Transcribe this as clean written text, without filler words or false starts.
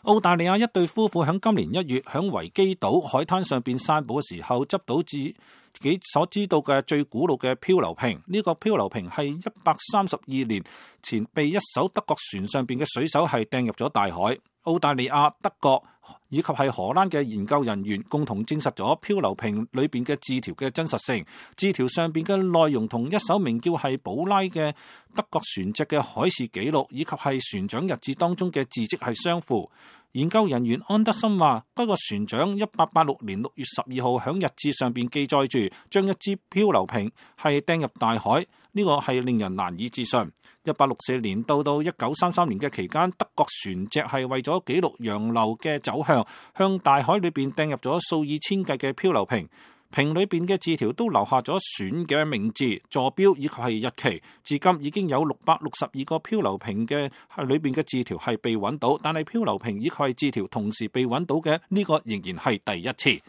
澳大利亞一對夫婦喺今年1月喺維基島海灘上邊散步嘅時候，執到自己所知道嘅最古老嘅漂流瓶。呢個漂流瓶係132年前被一艘德國船上邊嘅水手係掟入咗大海。澳大利亞、德國以及係荷蘭嘅研究人員共同證實咗漂流瓶裏邊嘅字條嘅真實性。字條上邊嘅內容同一艘名叫係寶拉嘅德國船隻嘅海事記錄以及係船長日誌當中嘅字跡係相符。研究人員安德森話，該個船長1886年6月12號響日誌上邊記載住，將一支漂流瓶係掟入大海，呢個係令人難以置信。1864年到1933年嘅期間，德國船隻係為咗記錄洋流嘅走向，向大海裏邊掟入咗數以千計嘅漂流瓶。瓶裏邊嘅字條都留下咗船嘅名字、座標以及係日期。至今已經有662個漂流瓶嘅裏邊嘅字條係被揾到，但係漂流瓶以及係字條同時被揾到嘅呢個仍然係第一次。